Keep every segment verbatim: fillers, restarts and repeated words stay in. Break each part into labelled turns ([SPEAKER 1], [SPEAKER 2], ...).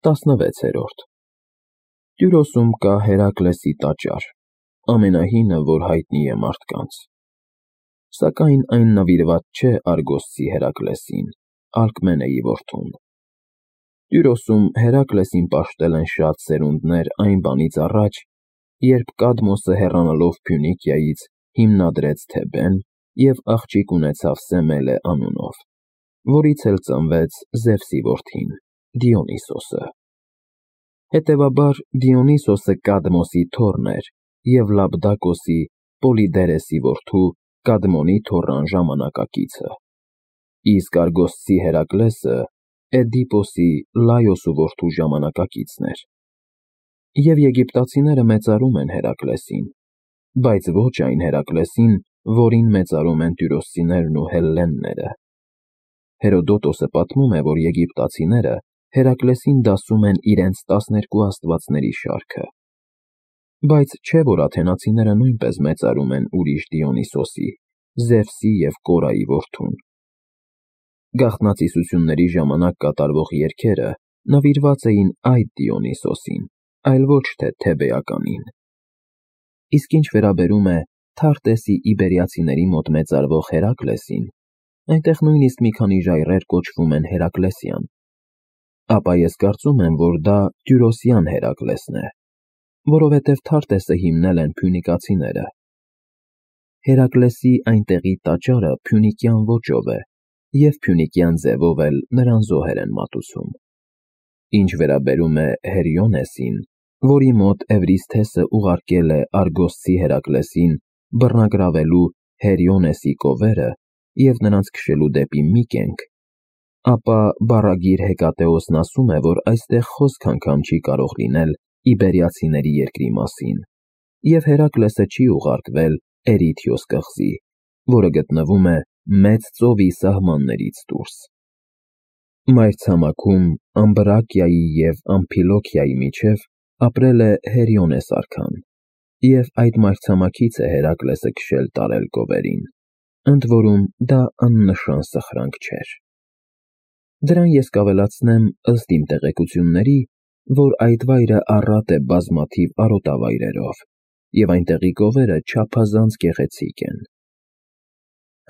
[SPEAKER 1] տասնվեցերորդ Տյուրոսում կա Հերակլեսի տաճար, ամենահինը, որ հայտնի է մարդկանց։ Սակայն այն նվիրված չէ Արգոսցի Հերակլեսին, Ալկմենեի որդուն։ Տյուրոսում Հերակլեսին պաշտել են շատ սերունդներ այն բանից առաջ, երբ Կադմոսը հեռանալով Փյունիկիայից հիմնադրեց Թեբեն և աղջիկ ունեցավ Սեմելե անունով, որից էլ ծնվեց Զևսի որդին՝ Դիոնիսոսը։ Հետևաբար Դիոնիսոսը Կադմոսի թոռն էր և Լաբդակոսի՝ Պոլիդերեսի որդու Կադմոնի թոռան ժամանակակիցը, իսկ Արգոսցի Հերակլեսը Էդիպոսի՝ Լայոսու որդու ժամանակակիցն էր։ Եվ եգիպտացիները մեծարում են Հերակլեսին, բայց ոչ այն Հերակլեսին, որին մեծարում են տյուրոսցիներն ու հելլենները։ Հերոդոտոսը պատմում է, որ եգիպտացիները Հերակլեսին դասում են իրենց տասներկու աստվածների շարքը, բայց չէ, որ աթենացիները նույնպես մեծարում են ուրիշ Դիոնիսոսի՝ Զևսի և Կորայի որդուն։ Գաղտնացիությունների ժամանակ կատարվող երգերը նվիրված էին այդ Դիոնիսոսին, այլ ոչ թե թեբեականին։ Իսկ ինչ վերաբերում է Թարտեսի իբերիացիների մոտ մեծարվող Հերակլեսին, այնտեղ նույնիսկ մի քանի ժայռեր կոչվում են Հերակլեսյան, ապա ես կարծում եմ, որ դա Տյուրոսյան Հերակլեսն է, որովհետև Թարտեսը հիմնել են փյունիկացիները։ Հերակլեսի այնտեղի տաճարը փյունիկյան ոճով է և փյունիկյան ձևով էլ նրան զոհեր են մատուցում։ Ինչ վերաբերում է Հերիոնեսին, որի մոտ Էվրիսթեսը ուղարկել է Արգոսցի Հերակլեսին բռնագրավելու Հերիոնեսի կովերը և նրանց քշելու դեպի Միկենք, ապա բառագիր Հեկատեոսն ասում է, որ այստեղ խոսք անգամ չի կարող լինել իբերիացիների երկրի մասին, և Հերակլեսը չի ուղարկվել Էրիթիոս կղզի, որը գտնվում է Մեծ ծովի սահմաններից դուրս։ Մայրցամաքում Ամբրակիայի և Ամփիլոքիայի միջև ապրել է Հերիոնես արքան, և այդ մայրցամաքից է Հերակլեսը քշել տարել կովերին, ընդ որում դա աննշան սխրանք չէր։ Դրան ես կավելացնեմ, ըստ իմ տեղեկությունների, որ այդ վայրը առատ է բազմաթիվ արոտավայրերով, և այնտեղի կովերը չափազանց գեղեցիկ են։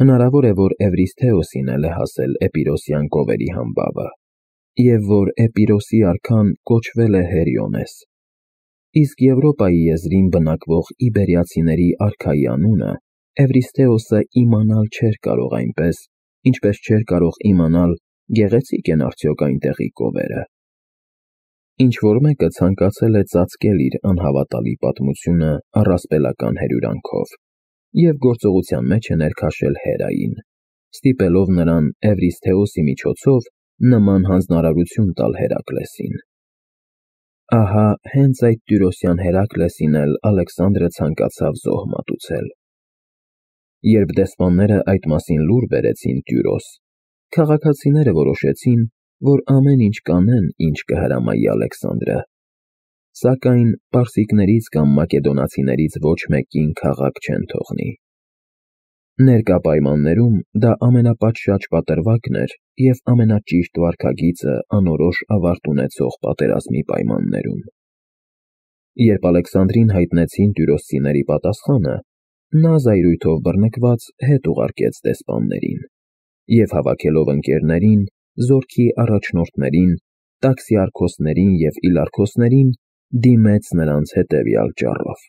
[SPEAKER 1] Հնարավոր է, որ Էվրիսթեոսին էլ է հասել Էպիրոսյան կովերի համբավը, և որ Էպիրոսի արքան կոչվել է Հերիոնես, իսկ Եվրոպայի եզրին բնակվող իբերիացիների արքայի անունը Էվրիսթեոսը իմանալ չէր կարող այնպես, ինչպես չէր կարող իմանալ գեղեցիկ են արդյոք այնտեղի կովերը։ Ինչ-որ մեկը ցանկացել է ծածկել իր անհավատալի պատմությունը առասպելական հրյուրանքով և գործողության մեջ է ներքաշել Հերային, ստիպելով նրան Էվրիսթեոսի միջոցով նման հանձնարարություն տալ Հերակլեսին։ Ահա հենց այդ Տյուրոսյան Հերակլեսին էլ Ալեքսանդրը ցանկացավ զոհ մատուցել։ Երբ դեսպանները այդ մասին լուր բերեցին Տյուրոս, քաղաքացիները որոշեցին, որ ամեն ինչ կանեն, ինչ կհրամայի Ալեքսանդրը, սակայն պարսիկներից կամ մակեդոնացիներից ոչ մեկին քաղաք չեն թողնի։ Ներկա պայմաններում դա ամենապատշաճ պատրվակն էր և ամենաճիշտ վարքագիծը անորոշ ավարտ ունեցող պատերազմի պայմաններում։ Երբ Ալեքսանդրին հայտնեցին տյուրոսցիների պատասխանը, նա զայրույթով բռնկված հետ ուղարկեց դեսպաններին և հավաքելով ընկերներին, զորքի առաջնորդներին, տաքսիարքոսներին և իլարքոսներին, դիմեց նրանց հետևյալ ճառով.